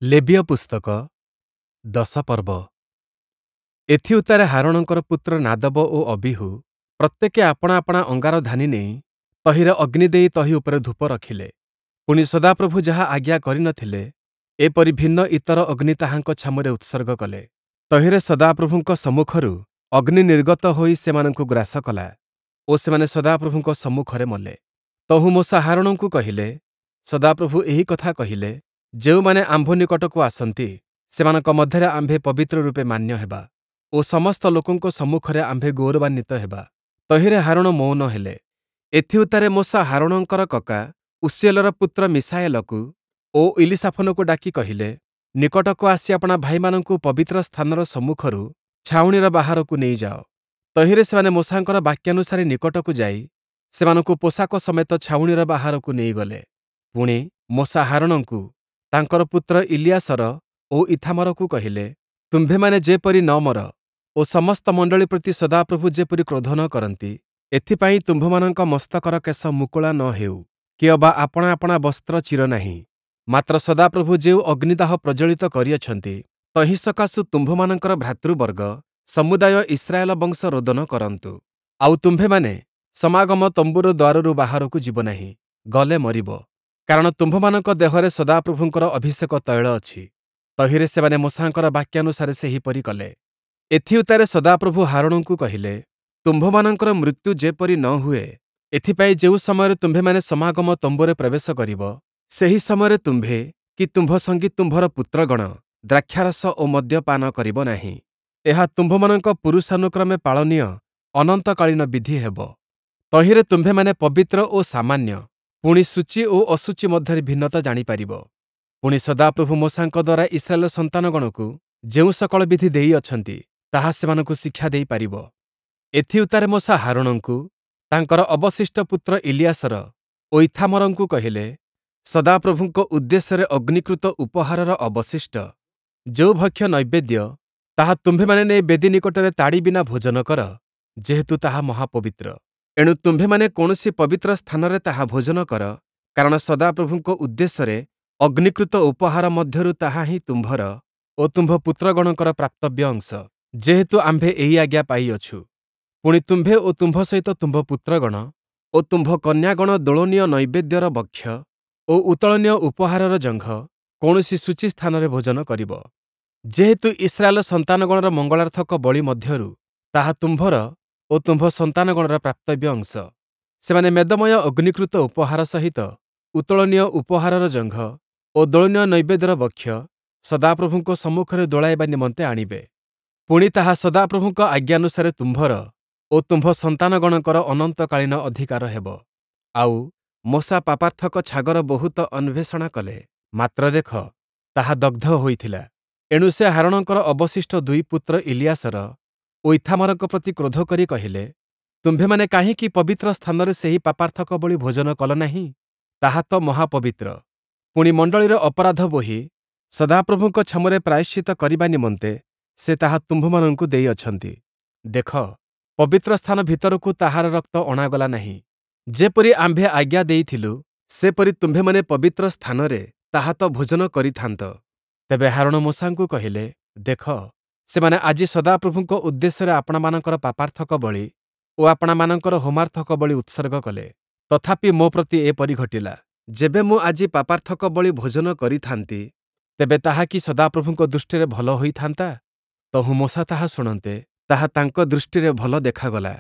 ଲେବୀୟ ପୁସ୍ତକ, ଦଶ ପର୍ବ। ଏଥିଉତ୍ତାରେ ହାରୋଣଙ୍କର ପୁତ୍ର ନାଦବ ଓ ଅବୀହୂ ପ୍ରତ୍ୟେକେ ଆପଣା ଆପଣା ଅଙ୍ଗାରଧାନୀ ନେଇ ତହିଁରେ ଅଗ୍ନି ଦେଇ ତହିଁ ଉପରେ ଧୂପ ରଖିଲେ। ପୁଣି, ସଦାପ୍ରଭୁ ଯାହା ଆଜ୍ଞା କରି ନ ଥିଲେ, ଏପରି ଭିନ୍ନ ଇତର ଅଗ୍ନି ତାହାଙ୍କ ଛାମୁରେ ଉତ୍ସର୍ଗ କଲେ। ତହିଁରେ ସଦାପ୍ରଭୁଙ୍କ ସମ୍ମୁଖରୁ ଅଗ୍ନି ନିର୍ଗତ ହୋଇ ସେମାନଙ୍କୁ ଗ୍ରାସ କଲା ଓ ସେମାନେ ସଦାପ୍ରଭୁଙ୍କ ସମ୍ମୁଖରେ ମଲେ। ତହୁଁ ମୋଶା ହାରୋଣଙ୍କୁ କହିଲେ, ସଦାପ୍ରଭୁ ଏହି କଥା କହିଲେ, ଯେଉଁମାନେ ଆମ୍ଭ ନିକଟକୁ ଆସନ୍ତି, ସେମାନଙ୍କ ମଧ୍ୟରେ ଆମ୍ଭେ ପବିତ୍ର ରୂପେ ମାନ୍ୟ ହେବା ଓ ସମସ୍ତ ଲୋକଙ୍କ ସମ୍ମୁଖରେ ଆମ୍ଭେ ଗୌରବାନ୍ୱିତ ହେବା। ତହିଁରେ ହାରୋଣ ମୌନ ହେଲେ। ଏଥିଉତ୍ତାରେ ମୋଶା ହାରୋଣଙ୍କର କକା ଉଷୀୟେଲର ପୁତ୍ର ମିଶାଏଲକୁ ଓ ଇଲୀସାଫନକୁ ଡାକି କହିଲେ, ନିକଟକୁ ଆସି ଆପଣା ଭାଇମାନଙ୍କୁ ପବିତ୍ର ସ୍ଥାନର ସମ୍ମୁଖରୁ ଛାଉଣିର ବାହାରକୁ ନେଇଯାଅ। ତହିଁରେ ସେମାନେ ମୋଶାଙ୍କର ବାକ୍ୟାନୁସାରେ ନିକଟକୁ ଯାଇ ସେମାନଙ୍କୁ ପୋଷାକ ସମେତ ଛାଉଣିର ବାହାରକୁ ନେଇଗଲେ। ପୁଣି, ମୋଶା ହାରୋଣଙ୍କୁ, ତାଙ୍କର ପୁତ୍ର ଇଲିୟାସର ଓ ଈଥାମରକୁ କହିଲେ, ତୁମ୍ଭେମାନେ ଯେପରି ନ ମର ଓ ସମସ୍ତ ମଣ୍ଡଳୀ ପ୍ରତି ସଦାପ୍ରଭୁ ଯେପରି କ୍ରୋଧ ନ କରନ୍ତି, ଏଥିପାଇଁ ତୁମ୍ଭମାନଙ୍କ ମସ୍ତକର କେଶ ମୁକୁଳା ନ ହେଉ, କିଅବା ଆପଣା ଆପଣା ବସ୍ତ୍ର ଚିର ନାହିଁ। ମାତ୍ର ସଦାପ୍ରଭୁ ଯେଉଁ ଅଗ୍ନିଦାହ ପ୍ରଜ୍ୱଳିତ କରିଅଛନ୍ତି, ତହିଁ ସକାଶୁ ତୁମ୍ଭମାନଙ୍କର ଭ୍ରାତୃବର୍ଗ ସମୁଦାୟ ଇସ୍ରାଏଲ ବଂଶ ରୋଦନ କରନ୍ତୁ। ଆଉ ତୁମ୍ଭେମାନେ ସମାଗମ ତମ୍ବୁର ଦ୍ୱାରରୁ ବାହାରକୁ ଯିବ ନାହିଁ, ଗଲେ ମରିବ, କାରଣ ତୁମ୍ଭମାନଙ୍କ ଦେହରେ ସଦାପ୍ରଭୁଙ୍କର ଅଭିଷେକ ତୈଳ ଅଛି। ତହିଁରେ ସେମାନେ ମୋଶାଙ୍କର ବାକ୍ୟାନୁସାରେ ସେହିପରି କଲେ। ଏଥିଉତ୍ତାରେ ସଦାପ୍ରଭୁ ହାରୋଣଙ୍କୁ କହିଲେ, ତୁମ୍ଭମାନଙ୍କର ମୃତ୍ୟୁ ଯେପରି ନ ହୁଏ, ଏଥିପାଇଁ ଯେଉଁ ସମୟରେ ତୁମ୍ଭେମାନେ ସମାଗମ ତମ୍ବୁରେ ପ୍ରବେଶ କରିବ, ସେହି ସମୟରେ ତୁମ୍ଭେ କି ତୁମ୍ଭ ସଙ୍ଗୀ ତୁମ୍ଭର ପୁତ୍ରଗଣ ଦ୍ରାକ୍ଷାରସ ଓ ମଦ୍ୟ ପାନ କରିବ ନାହିଁ। ଏହା ତୁମ୍ଭମାନଙ୍କ ପୁରୁଷାନୁକ୍ରମେ ପାଳନୀୟ ଅନନ୍ତକାଳୀନ ବିଧି ହେବ। ତହିଁରେ ତୁମ୍ଭେମାନେ ପବିତ୍ର ଓ ସାମାନ୍ୟ, ପୁଣି ଶୁଚି ଓ ଅଶୁଚି ମଧ୍ୟରେ ଭିନ୍ନତା ଜାଣିପାରିବ। ପୁଣି, ସଦାପ୍ରଭୁ ମୋଶାଙ୍କ ଦ୍ୱାରା ଇସ୍ରାଏଲ ସନ୍ତାନଗଣକୁ ଯେଉଁ ସକଳ ବିଧି ଦେଇଅଛନ୍ତି, ତାହା ସେମାନଙ୍କୁ ଶିକ୍ଷା ଦେଇପାରିବ। ଏଥିଉତ୍ତାରେ ମୋଶା ହାରୋଣଙ୍କୁ, ତାଙ୍କର ଅବଶିଷ୍ଟ ପୁତ୍ର ଇଲିୟାସର ଓ ଈଥାମରଙ୍କୁ କହିଲେ, ସଦାପ୍ରଭୁଙ୍କ ଉଦ୍ଦେଶ୍ୟରେ ଅଗ୍ନିକୃତ ଉପହାରର ଅବଶିଷ୍ଟ ଯେଉଁ ଭକ୍ଷ୍ୟ ନୈବେଦ୍ୟ, ତାହା ତୁମ୍ଭେମାନେ ନେଇ ବେଦି ନିକଟରେ ତାଡ଼ି ବିନା ଭୋଜନ କର, ଯେହେତୁ ତାହା ମହାପବିତ୍ର। ଏଣୁ ତୁମ୍ଭେମାନେ କୌଣସି ପବିତ୍ର ସ୍ଥାନରେ ତାହା ଭୋଜନ କର, କାରଣ ସଦାପ୍ରଭୁଙ୍କ ଉଦ୍ଦେଶ୍ୟରେ ଅଗ୍ନିକୃତ ଉପହାର ମଧ୍ୟରୁ ତାହା ହିଁ ତୁମ୍ଭର ଓ ତୁମ୍ଭ ପୁତ୍ରଗଣଙ୍କର ପ୍ରାପ୍ତବ୍ୟ ଅଂଶ, ଯେହେତୁ ଆମ୍ଭେ ଏହି ଆଜ୍ଞା ପାଇଅଛୁ। ପୁଣି, ତୁମ୍ଭେ ଓ ତୁମ୍ଭ ସହିତ ତୁମ୍ଭ ପୁତ୍ରଗଣ ଓ ତୁମ୍ଭ କନ୍ୟାଗଣ ଦୋଳନୀୟ ନୈବେଦ୍ୟର ବକ୍ଷ ଓ ଉତ୍ତୋଳନୀୟ ଉପହାରର ଜଙ୍ଘ କୌଣସି ଶୁଚି ସ୍ଥାନରେ ଭୋଜନ କରିବ, ଯେହେତୁ ଇସ୍ରାଏଲ ସନ୍ତାନଗଣର ମଙ୍ଗଳାର୍ଥକ ବଳି ମଧ୍ୟରୁ ତାହା ତୁମ୍ଭର ଓ ତୁମ୍ଭ ସନ୍ତାନଗଣର ପ୍ରାପ୍ତବ୍ୟ ଅଂଶ। ସେମାନେ ମେଦମୟ ଅଗ୍ନିକୃତ ଉପହାର ସହିତ ଉତ୍ତୋଳନୀୟ ଉପହାରର ଜଙ୍ଘ ଓ ଦୋଳନୀୟ ନୈବେଦ୍ୟର ବକ୍ଷ ସଦାପ୍ରଭୁଙ୍କ ସମ୍ମୁଖରେ ଦୋଳାଇବା ନିମନ୍ତେ ଆଣିବେ। ପୁଣି, ତାହା ସଦାପ୍ରଭୁଙ୍କ ଆଜ୍ଞାନୁସାରେ ତୁମ୍ଭର ଓ ତୁମ୍ଭ ସନ୍ତାନଗଣଙ୍କର ଅନନ୍ତକାଳୀନ ଅଧିକାର ହେବ। ଆଉ, ମୋଶା ପାପାର୍ଥକ ଛାଗର ବହୁତ ଅନ୍ୱେଷଣା କଲେ, ମାତ୍ର ଦେଖ, ତାହା ଦଗ୍ଧ ହୋଇଥିଲା। ଏଣୁ ସେ ହାରୋଣଙ୍କର ଅବଶିଷ୍ଟ ଦୁଇ ପୁତ୍ର ଇଲିୟାସର ଓ ଈଥାମରଙ୍କ ପ୍ରତି କ୍ରୋଧ କରି କହିଲେ, ତୁମ୍ଭେମାନେ କାହିଁକି ପବିତ୍ର ସ୍ଥାନରେ ସେହି ପାପାର୍ଥକ ବଳି ଭୋଜନ କଲ ନାହିଁ? ତାହା ତ ମହାପବିତ୍ର। ପୁଣି, ମଣ୍ଡଳୀର ଅପରାଧ ବୋହି ସଦାପ୍ରଭୁଙ୍କ ଛାମୁରେ ପ୍ରାୟଶ୍ଚିତ୍ତ କରିବା ନିମନ୍ତେ ସେ ତାହା ତୁମ୍ଭମାନଙ୍କୁ ଦେଇଅଛନ୍ତି। ଦେଖ, ପବିତ୍ର ସ୍ଥାନ ଭିତରକୁ ତାହାର ରକ୍ତ ଅଣାଗଲା ନାହିଁ। ଯେପରି ଆମ୍ଭେ ଆଜ୍ଞା ଦେଇଥିଲୁ, ସେପରି ତୁମ୍ଭେମାନେ ପବିତ୍ର ସ୍ଥାନରେ ତାହା ତ ଭୋଜନ କରିଥାନ୍ତ। ତେବେ ହାରୋଣ ମୋଶାଙ୍କୁ କହିଲେ, ଦେଖ, ସେମାନେ ଆଜି ସଦାପ୍ରଭୁଙ୍କ ଉଦ୍ଦେଶ୍ୟରେ ଆପଣାମାନଙ୍କର ପାପାର୍ଥକ ବଳି ଓ ଆପଣାମାନଙ୍କର ହୋମାର୍ଥକ ବଳି ଉତ୍ସର୍ଗ କଲେ, ତଥାପି ମୋ ପ୍ରତି ଏପରି ଘଟିଲା। ଯେବେ ମୁଁ ଆଜି ପାପାର୍ଥକ ବଳି ଭୋଜନ କରିଥାନ୍ତି, ତେବେ ତାହା କି ସଦାପ୍ରଭୁଙ୍କ ଦୃଷ୍ଟିରେ ଭଲ ହୋଇଥାନ୍ତା? ତହୁଁ ମୋଶା ତାହା ଶୁଣନ୍ତେ, ତାହା ତାଙ୍କ ଦୃଷ୍ଟିରେ ଭଲ ଦେଖାଗଲା।